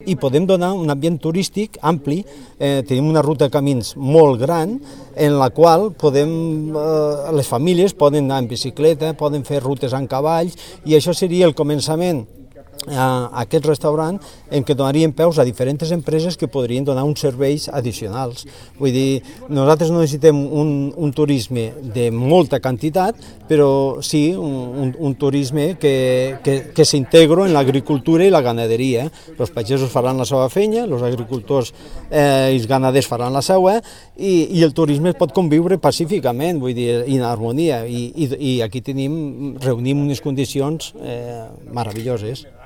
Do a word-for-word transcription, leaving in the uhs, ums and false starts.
i podem donar un ambient turístic ampli. Eh, tenim una ruta de camins molt gran en la qual podem, eh, les famílies poden anar en bicicleta, poden fer rutes en cavalls, i això seria el començament a aquest restaurant en què donaríem peus a diferents empreses que podrien donar uns serveis addicionals. Vull dir, nosaltres no necessitem un, un turisme de molta quantitat, però sí un, un turisme que, que, que s'integri en l'agricultura i la ganaderia. Els pagesos faran la seva feina, els agricultors eh, i els ganaders faran la seva, i, i el turisme pot conviure pacíficament, vull dir, en harmonia, i, i, i aquí tenim, reunim unes condicions eh, meravelloses.